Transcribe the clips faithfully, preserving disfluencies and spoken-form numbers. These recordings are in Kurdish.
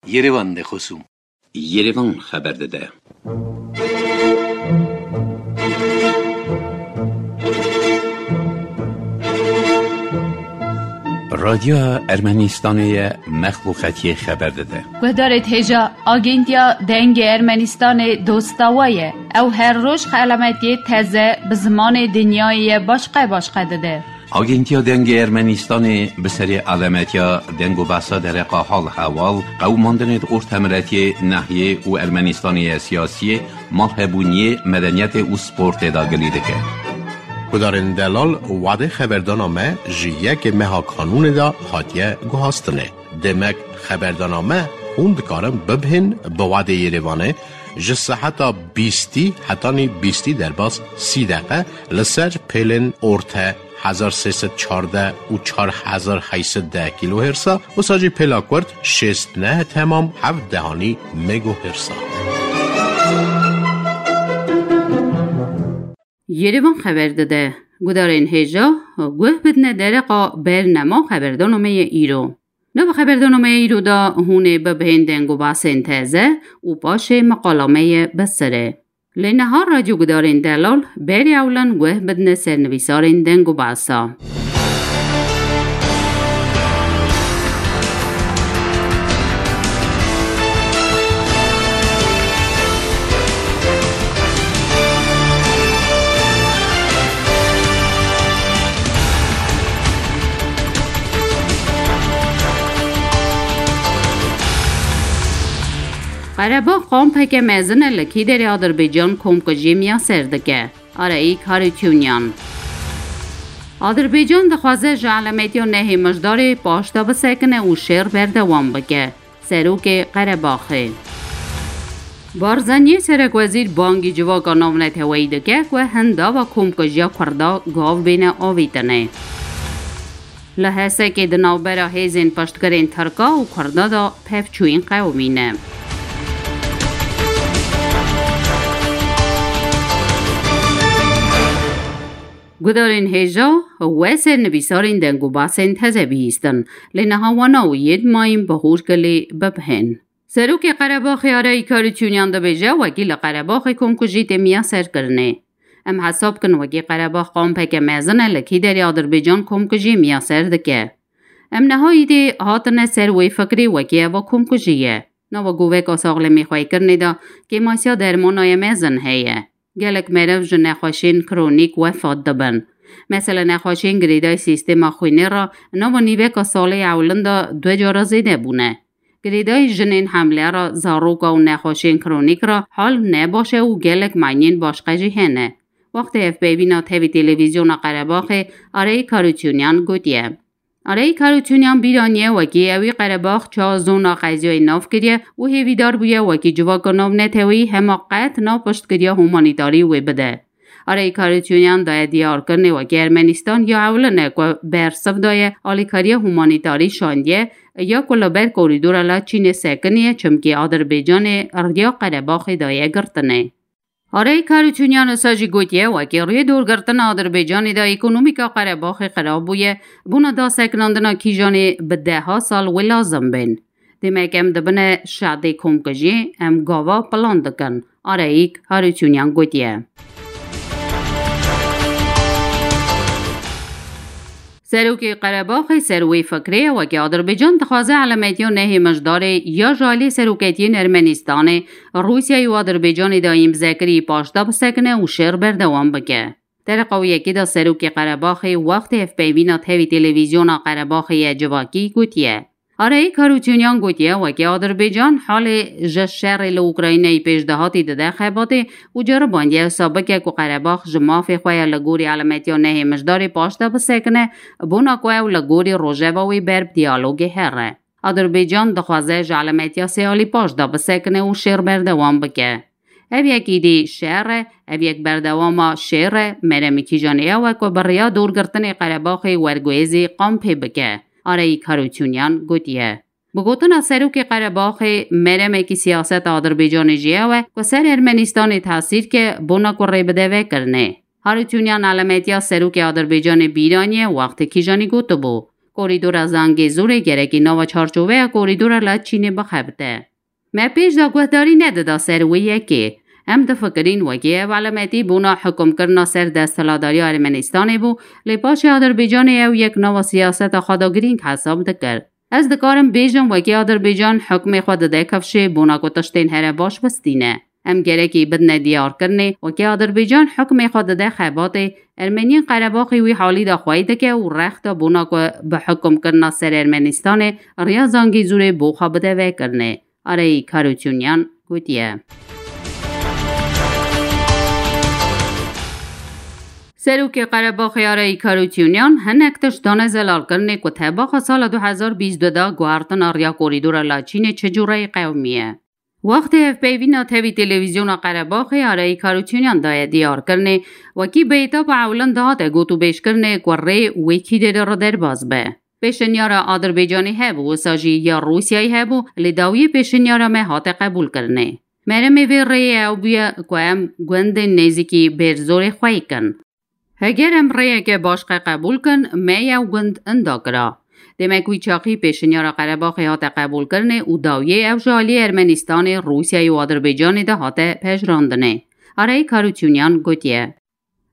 Yerevan de xosûm. Yerevan xeber dide. Radyoya Ermenistanê ye, mexluqetiyê xeber dide. Guhdarê hêja, Agentiya Dengê Ermenistanê dosta we ye. Ew her roj xelametiyê teze bi zimanê dinyayê ye başqe başqe dide. Agentiya Dengê Ermenistanê bi serê alemetiya deng û behsa dereqa hal hewal, qewimandinê di ortemiretiyê, nehiyê û Ermenistanê ye siyasiyê, malhebûniyê, medeniyetê û sportê de gilî dike. Gudarên delal, wadê xeberdana me ji yekê meha kanûnê de hatiye guhastinê. Demek xeberdana me hûn dikarin bibihên bi wadê Yerevanê ji seheta bîstî hetanî bîstî derbas sî deqe li ser pêlên orte hezar sê sed çardeh û çar hezar heyt sed deh kîlohêrsa, wisa jî pêla kurt şêst neh temam heft dehanî megohêrsa. Yerevan xeber dide. Gudarên hêja, guh bidine dereqa bernema xeberdana me ye îro. Nava xeberdana me ye îro de hûn ê bibihên deng û basên teze û paşê meqala me ye bi sere. Lê niha radyo gudarên delal berê ewlan guh bidine sernivîsarên deng û basa. Qerebax kampeke mezin e li Kîderê Adirbaycan komkujiyê miyaser dike. Arayî Karîçûnyan. Adirbaycan dixwaze ji elametiya nehê Mijdarê paşda bisekine û şer berdewam bike. Serokê Qerebaxê. Barzaniyê serekwezîr bangî civaka navneteweyî dike ku hindava komkujiya Kurda gav bêne avîtinê. Li Hesekê di navbera hêzên piştgirên Tirka û Kurda de pevçûyîn qewimîne. Gudarên hêja, we sernivîsarên deng û basên teze bihîstin, lê niha wana û yê dimayîn bi hûr kilî bibihên. Serokê Qerebaxê Arayî Karîçûnyan dibêje, wekî li Qerebaxê komkujî tê miyaserkirinê. Em hesab kin wekî Qerebax kampeke mezin e li Kîderê Adirbaycan komkujî miyaser dike. Em niha îdî hatine ser wê fikrê wekî eva komkujî ye. Nava goveka saxlemî xweykirinê de kêmasiya dermana ye mezin heye. Gelek meriv ji nexweşiyên kronîk wefat dibin. Mesela nexweşiyên girêdayî sîstema xwînê re nava nîveka salê ewilin de du cara zêde bûne. Girêdayî jinên hemle re, zaroka û nexweşiyên kronîk re hal ne baş e û gelek manyên başqe jî hene. Wextê hevpeyvîna tevî televîzyona Qerebaxê Arayî Karîçûnyan gotiye. Arayî Karîçûnyan bîr aniye wekî ewî Qerebax çawa zona qeziyayê nav kiriye û hêvîdar bûye wekî civaka navneteweyî hema qet nav piştgiriya humanîtarî wê bide. Arayî Karîçûnyan daye diyarkirinê wekî Ermenistan ya ewilin e ku bersiv daye alîkariya humanîtarî şandiye ya ku li ber korîdora Laçînê sekiniye, çimkî Adirbaycanê riya Qerebaxê daye girtinê. Arayî Karîçûnyan wisa jî gotiye, wekî rûyê dorgirtina Adirbaycanê de ekonomîka Qerebaxê xirab bûye, bona dasekinandina kîjanê bi deha sal wê lazim bên. Demek em dibine şadê komkujî, em gava plan dikin, Arayî Karîçûnyan gotiye. Serokê Qerebaxê ser wê fikrê ye, wekî Adirbaycan dixwaze elametiya nehê Mijdarê ya ji alî seroketiyên Ermenistanê, Rûsyayê û Adirbaycanê de îmzekirî paşda bisekine û şer berdewam bike. Dereqa wê yekê de serokê Qerebaxê wextê hevpeyvîna tevî televîzyona Qerebaxê ye civakî gotiye. Arayî Karûçûnyan gotiye, wekî Adirbaycan halê ji şerê li Ukraynayê pêşdihatî dide xebatê û ceribandiye wisa bike ku Qerebax ji mafê xwe ya li gorî elametiya nehê Mijdarê paşda bisekine, bona ku ew li gorî rojeva wê ber bi diyalogê here. Adirbaycan dixwaze ji elametiya sê alî paşda bisekine û şêr berdewam bike. Ev yek îdî şer e, ev yek berdewama şêr e, meremî kîjanê ew e ku bi riya dorgirtinê Qerebaxê werguhêzî kampê bike, Arayî Karûçûnyan gotiye. Bi gotina serokê Qerebaxê, meremekî siyaseta Adirbaycanê jî ew e ku ser Ermenistanê tesîr ke bona ku rê bide vekirinê. Karûçûnyan elametiya serokê Adirbaycanê bîr aniye wextê kîjanî gotibû, Korîdora Zangezûrê gerekî nava çarçoveya korîdora Laçînê bixebite. Me pêş de guhdarî nedida ser wê yekê. Em difikirîn wekî ev alametî bona hukmkirina ser desthilatdariya Ermenistanê bû, lê paşê Adirbaycanê ew yek nava siyaseta xwe de girîng hesab dikir. Ez dikarim bêjim, wekî Adirbaycan hukmê xwe dide kifşê bona ku tiştên here baş bistîne. Em gerekî bidine diyarkirinê, wekî Adirbaycan hukmê xwe dide xebatê, Ermeniyên Qerebaxê wî halî de xwey dike û rex de bona ku bi hukmkirina ser Ermenistanê riya Zangezûrê bo xwe bide vekirinê. Arayî Karûçûnyan gotiye. Serokê Qerebaxê Arayî Karûçûnyan hinek tişt dane zelalkirinê ku tebaxa sala du hezar bîst du de guhertina riya korîdora Laçînê çi cûreyî qewimiye. Wextê hevpeyvîna tevî televîzyona Qerebaxê Arayî Karûçûnyan daye diyarkirinê, wekî bi etapa ewlin dihate gotûbêjkirinê ku rê wê kî dê re derbas be. Pêşinyara Adirbaycanê hebû, wisa jî ya Rûsyayê hebû, lê dawiyê pêşinyara me hate qebûlkirinê. Meremê vê rêyê ew bûye ku em gundên nêzîkî Bêrzorê xwey kin. Heger em rêyeke başqe qebûl kin, me yew gund inda kira. Demek wî çaxî pêşinyara Qerebaxê hate qebûlkirinê û dawiyê ew ji alî Ermenistanê, Rûsyayê û Adirbaycanê de hate pejirandinê. Arayî Karûçûnyan gotiye.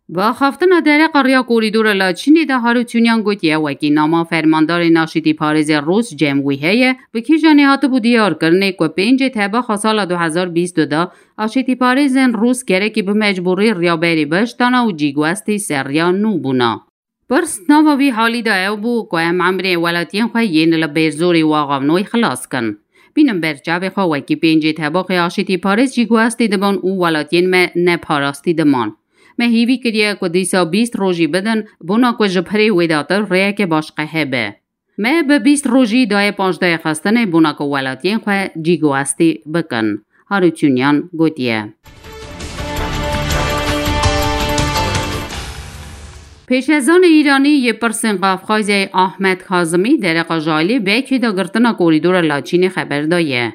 Bi axaftina dereqa riya korîdora Laçînê de Harûçûnyan gotiye, wekî nama fermandarê naşîtîparêzê Rûs cem wî heye, bi kîjanê hatibû diyarkirinê ku pêncê tebaxa sala du hezar bîst du de aşîtîparêzên Rûs gerekî bi mecbûrî riya berî biştana û cîguestî ser riya nû bûna. Pirs nava vî halî de ew bû ku em emrê welatiyên xwe yên li Bêrzorê û Axavnoyê xilas kin. Bînin ber çavê xwe wekî pêncê tebaxê aşîtîparêz jî guhastî dibin û welatiyên me neparastî diman. Me hîvî kiriye ku dîsa bîst rojî bidin, bona ku ji pirê wê datir rêyeke başqe hebe. Me bi bîst rojî daye panzdehê xistinê bona ku welatiyên xwe cîguhastî bikin. Harûçûnyan gotiye. Pêşezanê Îranî yê pirsên Qafqazyayê Ahmet Kazimî dereqa ji alî Bekê de girtina korîdora Laçînê xeber daye.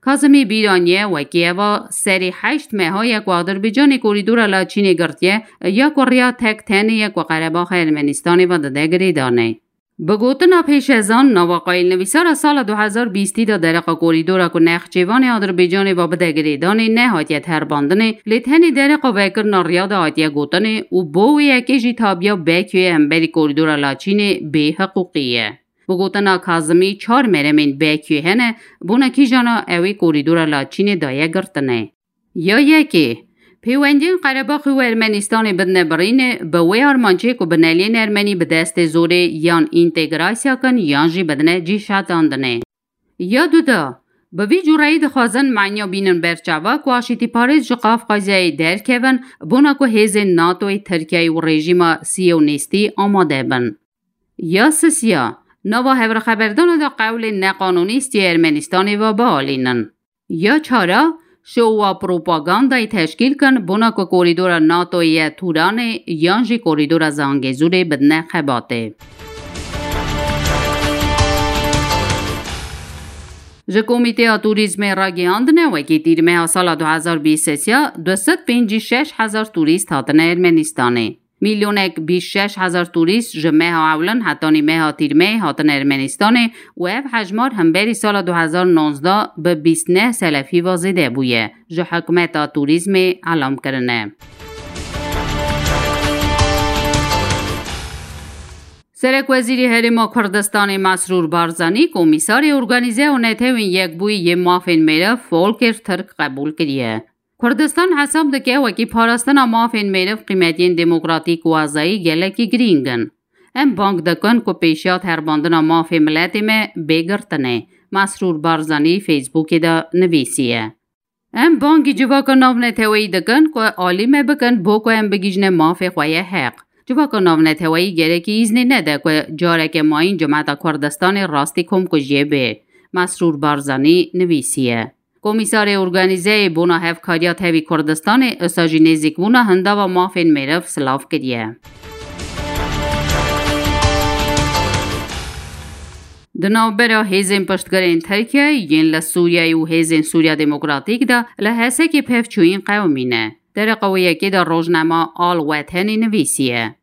Kazimî bîraniye wekî eva serê heşt meha ye ku Adirbaycanê korîdora Laçînê girtiye, ya ku riya tek tenê ye ku Qerebaxa Ermenistanê ve dide girêdanê. Bi gotina pêşezan, nava qayîlnivîsara sala du hezar bîstî de dereqa korîdora ku Nexçêvanê Adirbaycanê ve bide girêdanê nehatiye terbandinê, lê tenê dereqa vekirina riya de hatiye gotinê û bo wê yekê jî tabiya Bekuyê hemberî korîdora Laçînê bêhiqûqî ye. Bi gotina Kazimî, çar meremên Bekuyê hene, bona kîjana ew ê korîdora Laçînê daye girtinê. Ya yekê, pêwendiyên Qerebaxê û Ermenistanê bidine birînê, bi wê armancê ku bineliyên Ermenî bi destê zorê yan întegrasya kin yan jî bidine cî şetandinê. Ya duda, bi vî cûreyî dixwazin manya bînin ber çava ku aşîtîparêz ji Qafqazyayê derkevin, bona ku hêzên NATOyê, Tirkiyeyê û rejîma siyonîstî amade bin. Ya sisiya, nava hevrixeberdana de qewlên neqanûnî stiyê Ermenistanê ve bialînin. Ya çara, şowa propagandayê teşkîl kin, bona ku korîdora NATOyê ye Turanê yan jî korîdora Zangezûrê bidine xebatê. Ji Komîteya Turîzmê ragihandine, wekî tîrmeha sala du hezar bîst sê ya du sed pêncî şeş hezar turîst hatine Ermenistanê. Milyonek bîst şeş hezar turîst ji meha ewlin hetanî meha tîrmeyê hatine Ermenistanê û ev hejmar hemberî sala du hezar nonzdeh bi bîst neh selefî ve zêde bûye, ji hikûmeta turîzmê elam kirine. Serekwezîrê Herêma Kurdistanê Mesrûr Barzanî Komîsarê Organîze û Netewên Yekbûyî yê Mafên Mêrev Volker Türk qebûl kiriye. Kurdistan hesab dike wekî parastina mafên mêriv qîmetiyên demokratîk û azayî gelekî girîng in. Em bang dikin ku pêşiya terbandina mafê miletê me bê girtinê, Mesrûr Barzanî Facebookê de nivîsiye. Em bangî civaka navneteweyî dikin ku alî me bikin bo ku em bigihîjine mafê xwe yê heq. Civaka navneteweyî gerekî îznê nede ku careke mayîn cimeta Kurdistanê rastî komkujiyê bê, Mesrûr Barzanî nivîsiye. Komîsarê Organîzeyê Bona Hevkariya Tevî Kurdistanê, usa jî nêzîkbûna hindava mafên mêriv silav kiriye. Di navbera hêzên piştgirên Tirkiyeyê yên li Sûriyeyê û hêzên Sûriya Demokratîk de li Hesekê pevçûyîn qewimîne. Dereqa wê yekê de rojnama Al Wetenî nivîsiye.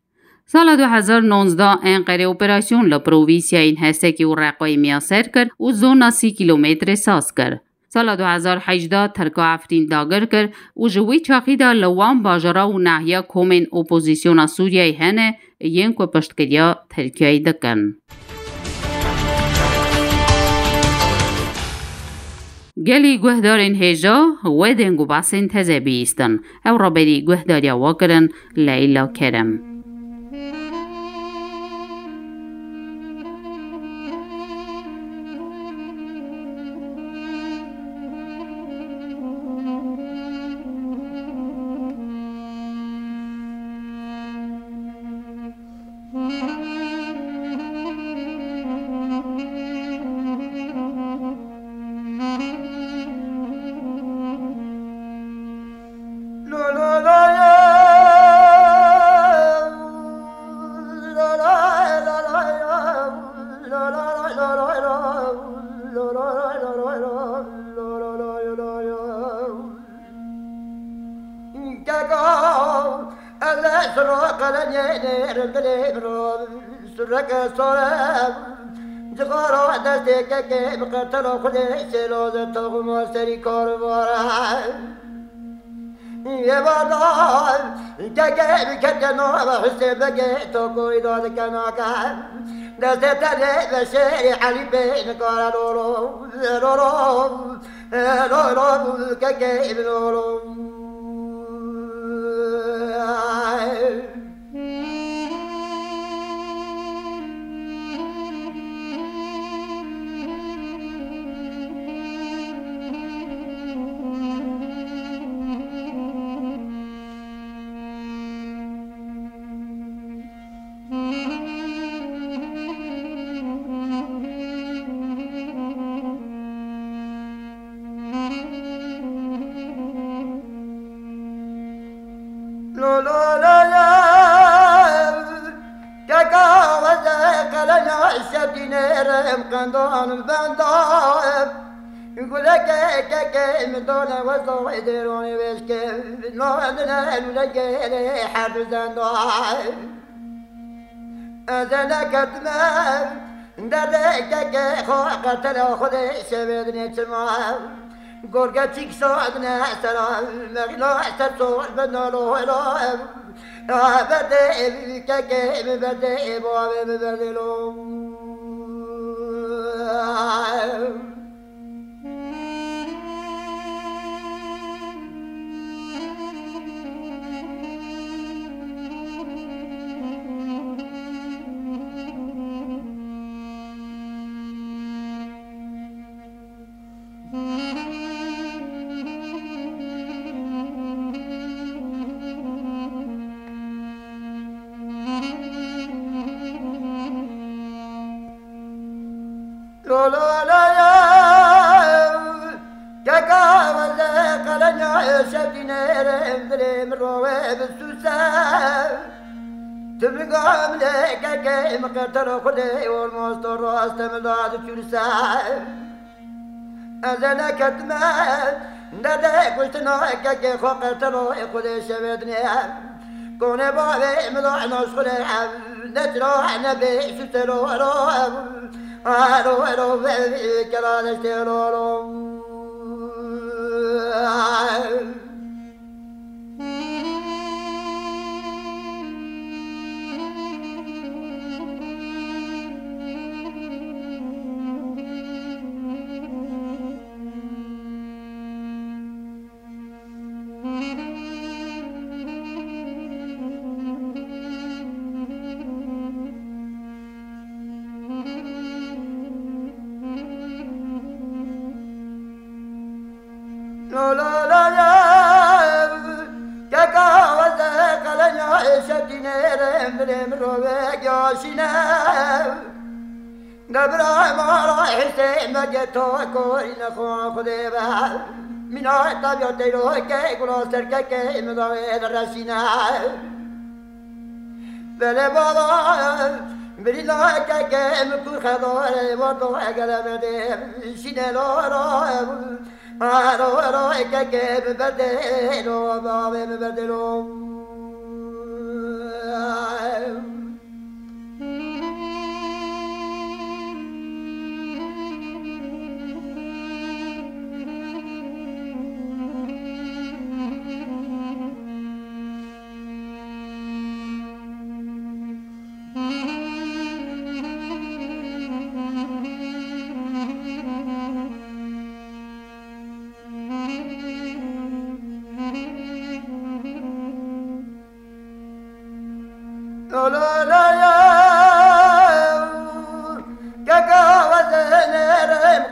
Sala du hezar nonzdeh Enqerê operasyon li provinsiyayên Hesekê û Reqayê miyaser kir û zona sî kîlometrê saz kir. Sala du hezar hejdeh Tirka Efrîn dagir kir û ji wî çaxî de li wan bajara û nahiya komên opozîsyona Sûriyeyê hene yên ku piştgiriya Tirkiyeyê dikin. Gelî guhdarên hêja, wê deng û behsên teze bihîstin. Ew raberî guhdariya we kirin Leyla Kerem. Keko, ez ê siro qelenyê nêrim dilê min ro, sureke sore, cixara destê kekê bi qetela xwedê sêlo ze toxuma serî karvare. Yê bada, kekê bi keke nava Husê Begê to koyda dike nake. Destê te lê ve şêrê Elî bê nikare lolo, lolo. Ê, lo, lo, kekê min, lo, lo. Lo, lo, lo, lo. Keka weze qelena şedînê rem qendan benda. Guleke keke min dane weza dêranê veşke. Nadine luleke her du zenda. Ez ê neketime derdê kekê xwe, qetela Xwedê şevê dinê çima. Gorge çîk şadine sera, mexîla ser sor bendalo hela. Berdê kekê min, berdê bavê min, berdê lo. Lo, lo, lo, lo. Keka weze qelenya şevdîne rem dilê min rove bi suse. Tu min gamle keke min qeter Xwedê olmaz to raste min da di çürse. Ez ê neketime derdê kuştina kekê xwe qetelo Xwedê şevê dinê. Konê bavê min da naşxulê ev neçra nebê suse lo ro. Ero, ero, ve, kela leştê lo, lo. Lo, lo, lo, lo. Keka weze qelenya şevdîne rem dilê min rove yaşîne. Debra mara Hüseyin Begê to korîne xwe Xwedê be. Mîna tabiya teyro ke gula serkeke min da wê de reşîne. Belê bala, birîna keke min kur xedare, vato egele berdê, şîne lo ro, ro, ro, keke min berdê lo, bavê min berdê lo.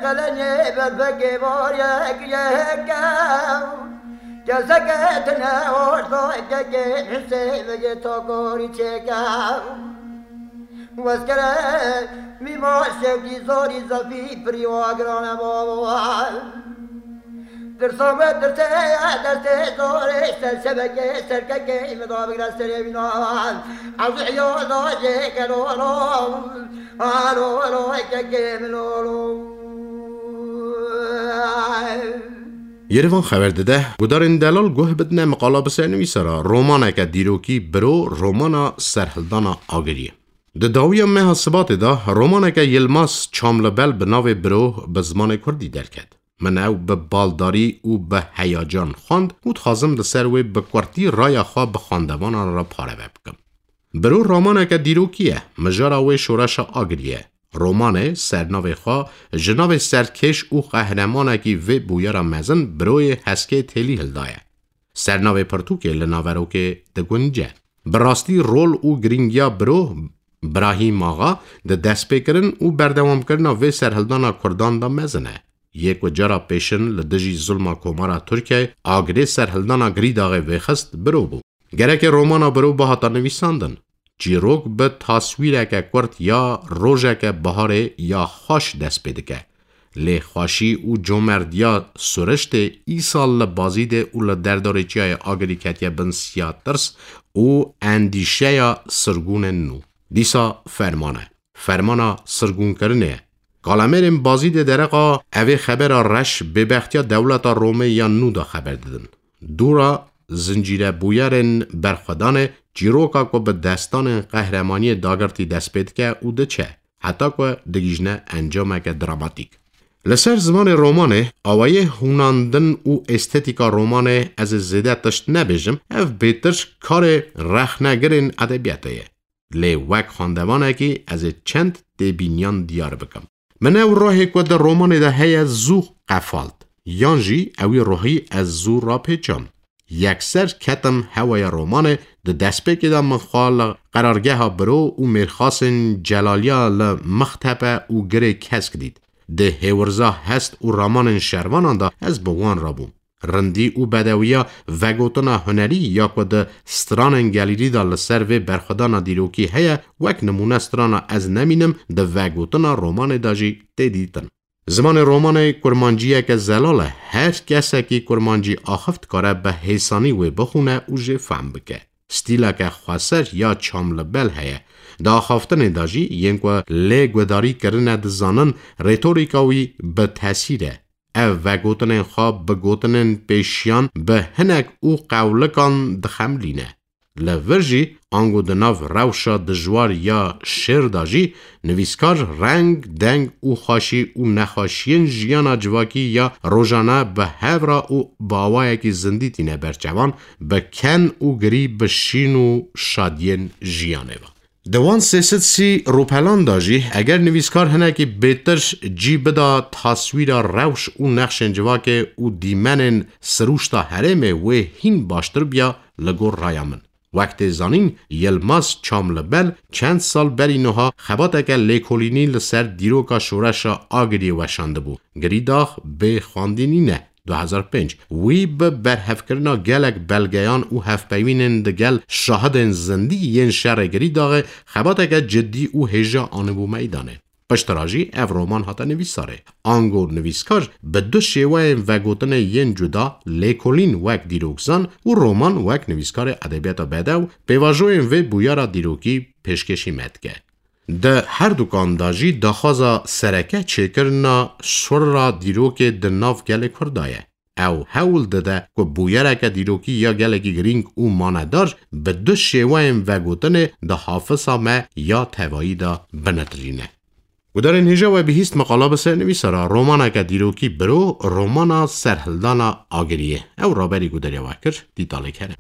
Elenê berfekê barek yeke, keseke tine orta kekê Hüseyin vegê takarî çeke. Weskere mîmar şevkî zorî zafî pirî wa girane baba. Tirsa me tirse ya destê zorê ser şebekê serkekê me da bigre serê wîna. Ez ya da jê ke lo lo, a lo lo kekê me lo lo. Yerivan xeber dide, gudarên delal guh bidine miqala bi ser nivîsara romaneke dîrokî biro romana Serhildana Agiriyê. Di dawiya meha Sibatê de romaneke Yilmaz Çamlibel bi navê Biro bi zimanê kurdî derket. Min ew bi baldarî û bi heyacan xwend û dixwazim li ser wê bi kurtî raya xwe bi xwendevanan re pareve bikim. Biro romaneke dîrokî ye, mijara wê şoreşa Agirî ye. Romanê sernavê xwe ji navê serkêş û qehremanekî vê bûyera mezin Biroyê Heskê Têlî hildaye. Sernavê pirtûkê li naverokê digunce. Bi rastî rol û girîngiya Biro Brahîm Axa di destpêkirin û berdewamkirina vê serhildana Kurdan de mezin e. Yê ku cara pêşin li dijî zulma Komara Tirkiyeyê Agirê serhildana Girîdaxê vêxist Biro bû. Gereke romana Biro bihata nivîsandin. Çîrok bi taswîreke kurt ya rojeke biharê ya xweş dest pê dike. Lê xweşî û comerdiya Suriştê îsal li Bazîdê û li derdorê çiyayê Agirî ketiye bin siya tirs û endîşeya sirgûnên nû. Dîsa ferman e. Fermana sirgûnkirinê ye. Kalemêrên Bazîdê dereqa evê xebera reş bêbextiya dewleta Romê ya nû de xeber didin. Dûra zincîre bûyerên berxwedanê çîroka ku bi destanên qehremaniyê dagirtî dest pê dike û diçe, heta ku digihîjne encameke dramatîk. Li ser zimanê romanê, awayê hûnandin û estetîka romanê ez ê zêde tişt nebêjim, ev bêtir karê rexnegirên edebiyatê ye. Lê wek xwendevanekî ez ê çend têbîniyan diyar bikim. Min ew ruhê ku di romanê de heye zû qefalt, yan jî ewî ruhî ez zû rapêçam. Yekser ketim hewaya romanê, di destpêkê de min xwe li qerargeha Biro û mêrxasên Celaliya li Mixtepe û Girê Kesk dît. Di hêwirza hest û ramanên şervanan de ez bi wan re bûm. Rindî û bedewiya vegotina hunerî ya ku di stranên gelîrî de li ser vê berxwedana dîrokî heye, wek nimûne strana Ez Nemînim di vegotina romanê de jî tê dîtin. Zimanê romanê kurmanciyeke zelal e. Her kesekî kurmancî axiv dikare bi hêsanî wê bixwîne û jê fehm bike. Stîleke xweser ya Çamlibel heye. Di axaftinê de jî yên ku lê guhdarî kirine dizanin, rêtorîka wî bi tesîr e. Ev vegotinên xwe bi gotinên pêşiyan bi hinek û qewlikan dixemilîne. Li vir jî ango di nav rewşa dijwar ya şêr de jî nivîskar reng, deng û xweşî û nexweşiyên jiyana civakî ya rojane bi hev re û bi awayekî zindî tîne ber çavan, bi ken û girî bi şîn û şadiyên jiyanê ve. Di wan sê sed sî rûpelan de jî, eger nivîskar hinekî bêtir cî bida taswîra rewş û nexşên civakê û dîmenên sirûşta herêmê, wê hîn baştir biya li gor raya min. Wek tê zanîn, Yilmaz Çamlibel çend sal berî niha xebateke lêkolînî li ser dîroka şoreşa Agiriyê weşandibû. Girîdax bê xwendî nîne. Du hezar pênc, wî bi berhevkirina gelek belgeyan û hevpeyvînên digel şahidên zindî yên şerê Girîdaxê xebateke cidî û hêja anîbû meydanê. Piştre jî ev roman hate nivîsarê. Ango nivîskar bi du şêweyên vegotinê yên cuda, lêkolîn wek dîrokzan û roman wek nivîskarê edebiyata bedew, pêvajoyên vê bûyera dîrokî pêşkêşî me dike. Di herdukan de jî daxwaza sereke çêkirina şirra dîrokê di nav gelê Kurda ye. Ew hewl dide ku bûyereke dîrokî ya gelekî girîng û manedar bi du şêweyên vegotinê di hafisa me ya tevayî de binitirîne. Gudarên hêja we bihîst meqala bi ser nivîsara romaneke dîrokî biro romana Serhildana Agiriyê. Ew raberî gudariya we kir, dîtalê kere.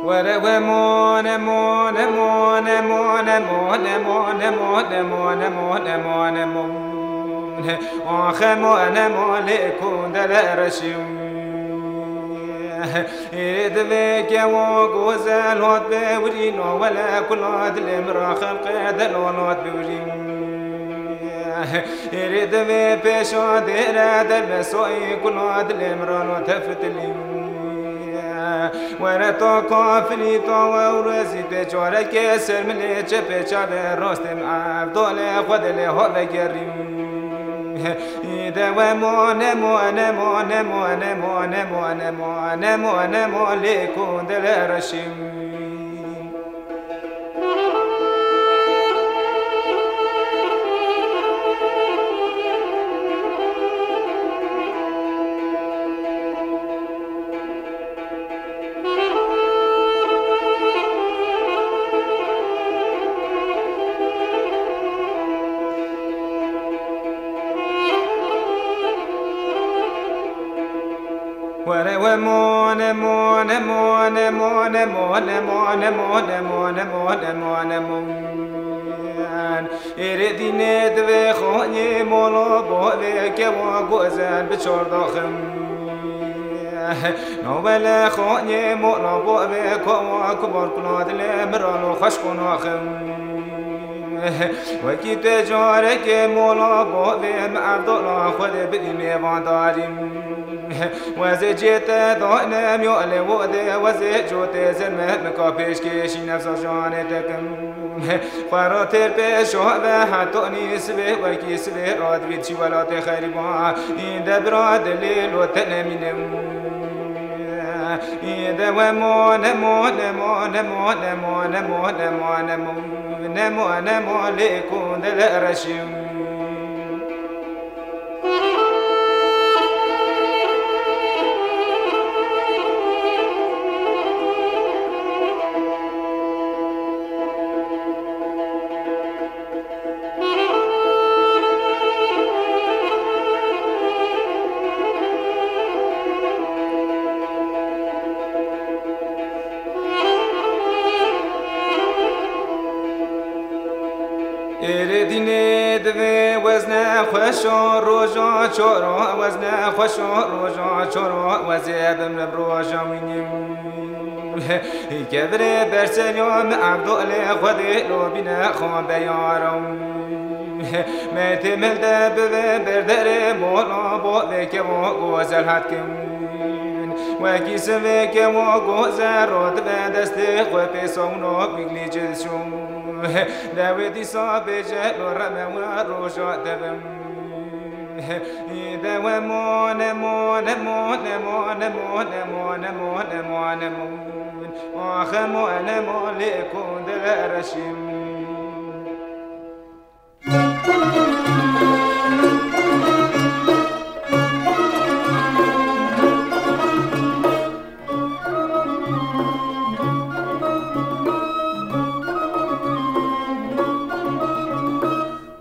Were we mone, mone, mone. Axe mone, mole kundele reşim. Ê divê kewo gozel hot bi wirî, no wele kula dilê min ra xelqê delal hot bi wirî. Ê divê pêşa dêre derbesoyî, kula dilê min ra no tefitilî. Were to kafirî to we û rezî tê, çarekê ser milê çepê çavê rastê min, evdolê xwe dilê ho vegerî. Îde we mone, mone, mone, mone, mole kundele reşim. Were we mone, mone, mone. Êrê dînê divê xonyê molo bo vê kewa gozel bi çor daxim. No wele xonyê molo bo vê kowa kubar kula dilê miralo xweş qonaxim. Wekî te carekê mola bavê min, evdola Xwedê bidî mêvandarî. Wezê cê te danem ya lê wodê, wezê cotê zerme min ka pêşkêşî nefsa canê te kim. Xwe ra têr pêşa ve hetanî sibê, wekî sibê radivît çî welatê xerîban. Îde bira dilê lo te nemînim. Îde we mone, mone, mone, mone, mone, mone, mone, mone, mone, mole kundele reşim. Êrê dînê divê wezne xweşa roja çora, wezne xweşa roja çora, wezê bimrim roja wînî. Kevirê berseriya min Evdolê Xwedê lo bîne xwe beyara. Metê mil de bive berderê mola bo vê kevo gozel hat kim. Wekî sivê kevo gozel ro dibe destê xwe pê sawno bîglî cizşû. Dewê dîsa bêje lo reme we roja devim. Îde we mone, mone, mone, mone, mone, mone, mone, mone, mone, mone. Axe mone, mole kundele reşim.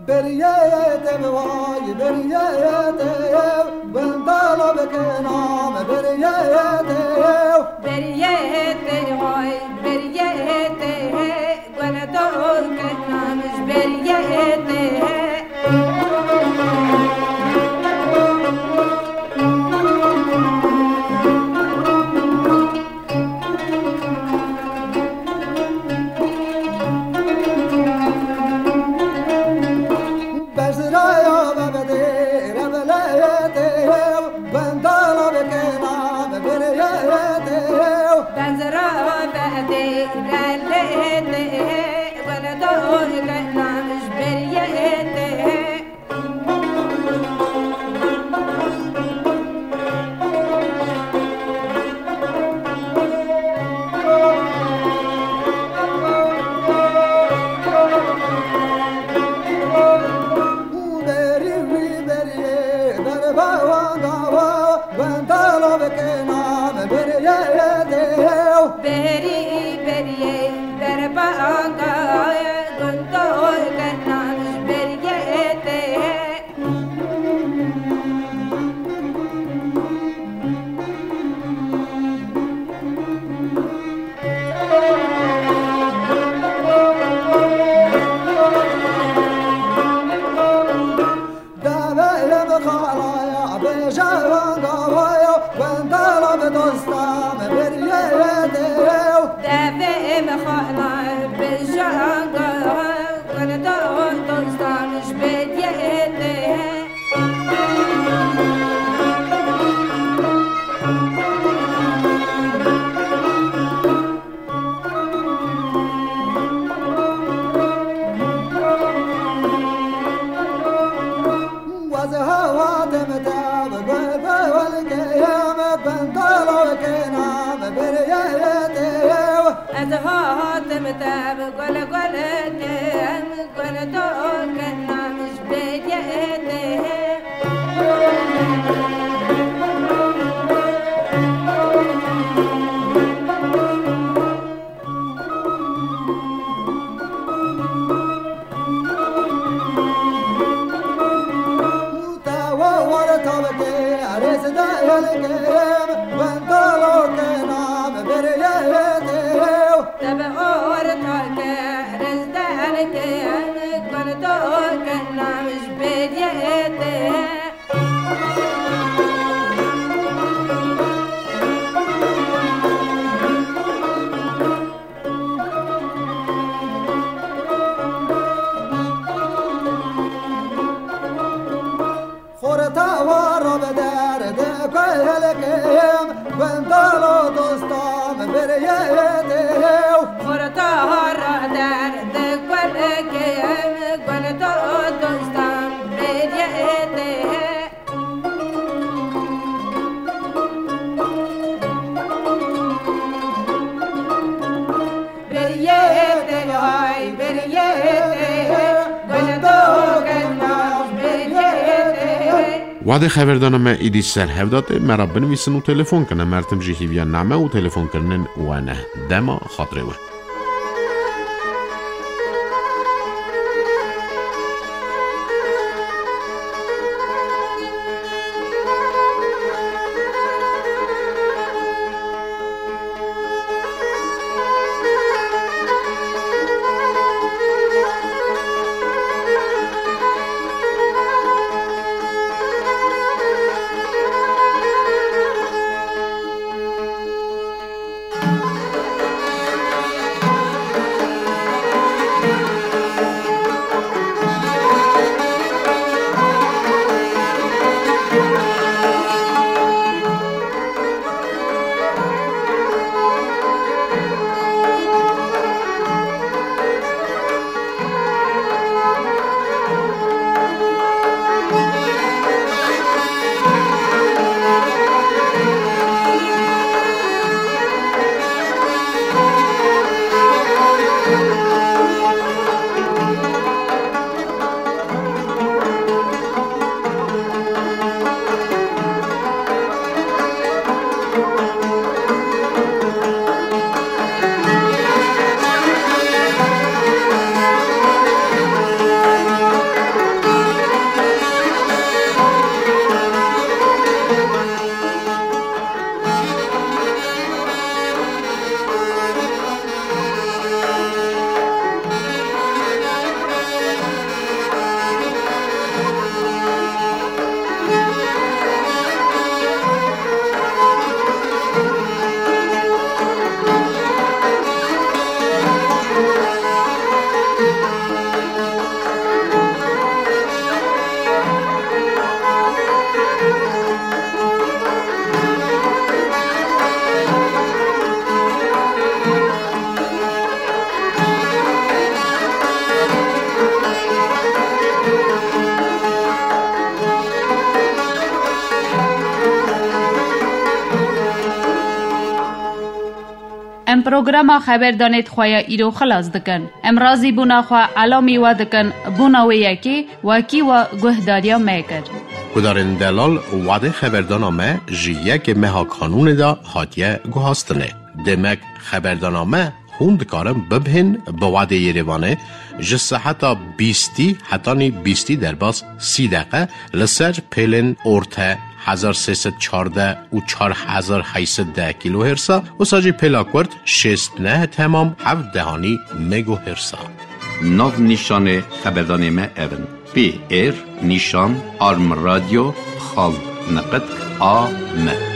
Beriyê te bi vay, beriyê te yew, gundala bi kenam, beriyê te yew. Beriyê te vay, beriyê te he, gundala bi kenam, beriyê te he. Bezraya bebedê, rebeleyetê, wendala bikena, bebireyetê. Bezra bebedê, rebeleyetê, wendala bikena, bebireyetê. Berî wî beriyê derba wan dawa, wendala bikena beriyê tê. Berî beriyê derba wan dawa, gundol kena beriyê tê. Te bi gul gul kim, gul dokin nam ji bêdiyê tê. Te bi orta ke rêz derkêm, gul dokin nam ji bêdiyê tê. Xorta wa ra bi derdê ku helkêm, gundalo dostam biriyê tê. Xorta wa ra derdê ku helkêm, gundalo dostam biriyê tê. Wadê xeberdana me îdî ser hev da tê, me ra binivîsin û telefon kin. Em her tim jî hîviya name û telefonkirinên we ne. Dema xatirê we. Em programa xeberdanê di xwe ya îro xilas dikin. Em razîbûna xwe elamî we dikin, bona wê yekê wekî we guhdariya me kir. Guhdarên delal, wadê xeberdana me ji yekê meha Kanûnê de hatiye guhastinê. Demek xeberdana me hûn dikarin bibihên bi wadê Yerêvanê ji seheta bîstî hetanî bîstî derbas sî deqe li ser pêlên orte hezar sê sed çardeh û çar hezar heyt sed deh kîlohêrsa, wisa jî pêla kurt şêst neh temam heft dehanî megohêrsa. Nav nîşanê xeberdanê me ev in: P R nîşan arm radyo xal niqit A M.